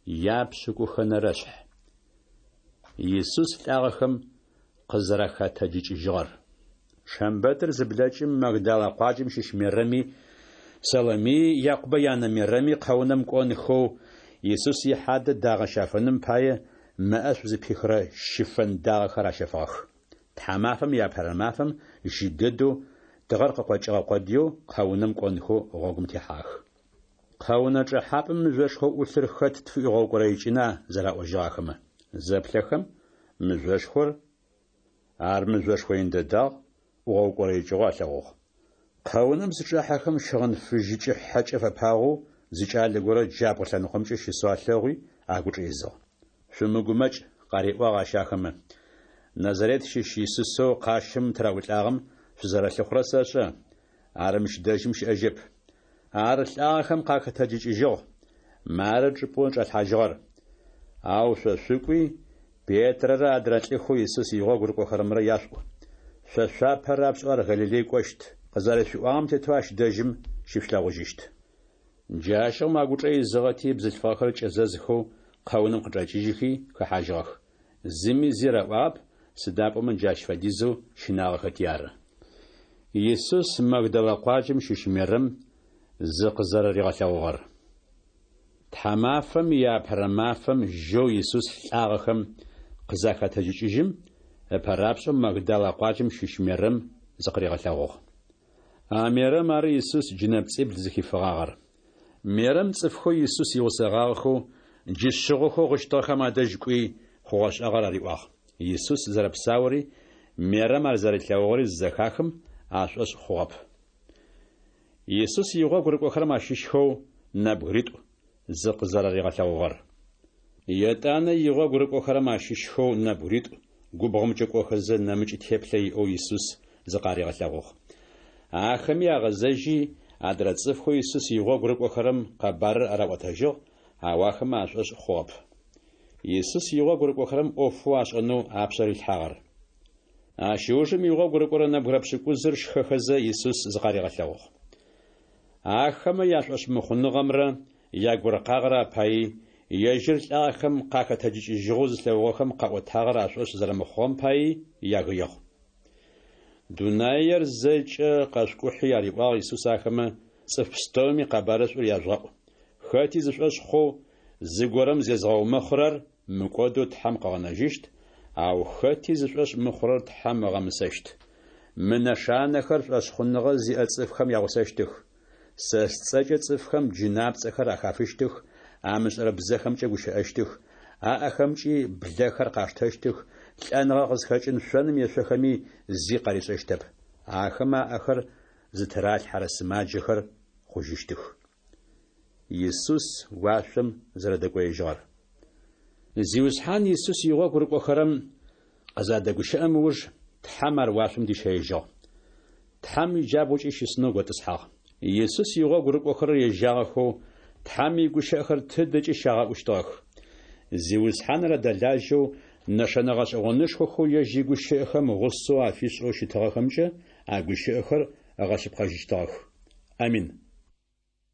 Япшӏыкӏухэнэрэшъхь. Исус лӏагъэхэм къызэрахэтэджыкӏыжьыгъэр. Шэмбэтыр зыблэкӏым, Магдалэ къуаджэм щыщ Мерэми, Саломии, Якъубэ янэ Мерэми къэунэм кӏонхэу, Исус ихьадэ дагъэ щафэным пае мэӏэшӏу зыпихырэ щыфэн дагъэхэр ащэфыгъэх. Тхьамафэм иапэрэ мафэм жьы дэдэу, тыгъэр къыкъокӏыгъэ къодыеу къэунэм кӏонхэу гъогум техьагъэх. Къэунэ чӏэхьапӏэм мыжъошхоу ӏулъыр хэт тфыӏуигъэукӏорэикӏына зэраӏожьыгъ ахэмэ. Зэплъэхэм, мыжъошхор, ар мыжъошхо ин дэдагъ, ӏугъэукӏорэикӏыгъэу алъэгъугъ. Къэунэм зычӏахьэхэм щыгъын фыжьыкӏэ хьэкӏэ фэпагъэу зы кӏалэ горэ джабгъу лъэныкъомкӏэ щысэу алъэгъуи, агучӏэ изыгъ. Шъумыгумэкӏ, къариӏуагъ ащ ахэмэ. Назарет щыщ Исусэу къащым тыраӏулӏагъэм шъузэрэлъыхъурэр сэшӏэ. Ар мыщ дэжьым щыӏэжьэп. Ар лӏагъэхэм къахэтэджыкӏыжьыгъ. Мары чӏыпӏэу чӏалъхьажьыгъэр. Ау шъо шъукӏуи, Петрэрэ адрэ лӏыхэу Исус игъогу рыкӏохэрэмрэ яшъуӏу. Шъо шъуапэ рапшӏэу ар Галилей кӏощт. Къызэрэшъуиӏуагъэм тетэу ащ дэжьым щышъулъэгъужьыщт. Джащыгъум агучӏэ изыгъэти, бзылъфыгъэхэр кӏэзэзхэу къэунэм къычӏэкӏыжьыхи хэхьажьыгъэх. Зыми зи раӏуагъэп, сыда пӏомэ джащ фэдизэу щынагъэхэти ары. Исус Магдалэ къуаджэм щыщ Мерэм зыкъызэрэригъэлъэгъугъэр. Тхьамафэм иапэрэ мафэм жьэу Исус лӏагъэхэм къызахэтэджыкӏыжьым, ыпэрапшӏэу Магдалэ къуаджэм щыщ Мерэм зыкъыригъэлъэгъугъ. А Мерэм ары Исус джынэпцӏибл зыхифыгъагъэр. Мерэм цӏыфхэу Исус игъусэгъагъэхэу, джы шъыгъохэу гъыщтыгъэхэм адэжь кӏуи, хъугъэ-шӏагъэр ариӏуагъ. Исус зэрэпсаури, Мерэм ар зэрилъэгъугъэри зызэхахым, ашӏошъ хъугъэп. Исус игъогу рыкӏохэрэм ащыщхэу нэбгыритӏу зыкъызэрэригъэлъэгъугъэр. Етӏанэ игъогу рыкӏохэрэм ащыщхэу нэбгыритӏу губгъомкӏэ кӏохэзэ нэмыкӏ теплъэ иӏэу Исус зыкъаригъэлъэгъугъ. Ахэми агъэзэжьи, адрэ цӏыфхэу Исус игъогу рыкӏохэрэм къэбарыр араӏотэжьыгъ, ау ахэмэ ашӏошъ хъугъэп. Исус игъогу рыкӏохэрэм ӏофэу ашӏэнэу апшъэ рилъхьагъэр. Ащ ыужым игъогу рыкӏорэ нэбгырэ пшӏыкӏузыр шхэхэзэ Исус зыкъаригъэлъэгъугъ. Ахэмэ яшӏошъмыхъуныгъэмрэ ягуркъагъэрэ апаий, ежьыр лӏагъэхэм къахэтэджыкӏыжьыгъэу зылъэгъугъэхэм къаӏотагъэр ашӏошъ зэрэмыхъугъэм паий ягыигъ. Дунаер зэкӏэ къэшъукӏухьи, ариӏуагъ Исус ахэмэ, цӏыф пстэуми къэбарышӏур яжъугъэӏу. Хэти зышӏошъ хъоу, зыгорэм зезгъэумэхъырэр мыкӏодэу Тхьэм къыгъэнэжьыщт, ау хэти зышӏошъ мыхъурэр Тхьэм ыгъэмысэщт. Мы нэшанэхэр шӏошъхъуныгъэ зиӏэ цӏыфхэм ягъусэщтых. Сэ сцӏэкӏэ цӏыфхэм джынапцӏэхэр ахафыщтых, амышӏэрэ бзэхэмкӏэ гущыӏэщтых, аӏэхэмкӏи блэхэр къаштэщтых, лӏэныгъэ къызхэкӏын шъоным ешъохэми зи къаришӏэщтэп. Ахэмэ аӏэхэр зытыралъхьэрэ сымаджэхэр хъужьыщтых. Исус уашъом зэрэдэкӏоежьыгъэр. Зиусхьан Исус игъогу рыкӏохэрэм къызадэгущыӏэм ыуж, Тхьэм ар уашъом дищэежьыгъ. Тхьэм иджабгъукӏи щысынэу готӏысхьагъ. Исус игъогу рыкӏохэрэр ежьагъэхэу, Тхьэм игущыӏэхэр тыдэкӏи щагъэӏущтыгъэх. Зиусхьаныр адэлажьэу, нэшэнэ гъэшӏэгъонышхохэу ежь игущыӏэхэм гъусэу афишӏэу щытыгъэхэмкӏэ а гущыӏэхэр ыгъэшъыпкъэжьыщтыгъэх. Амин.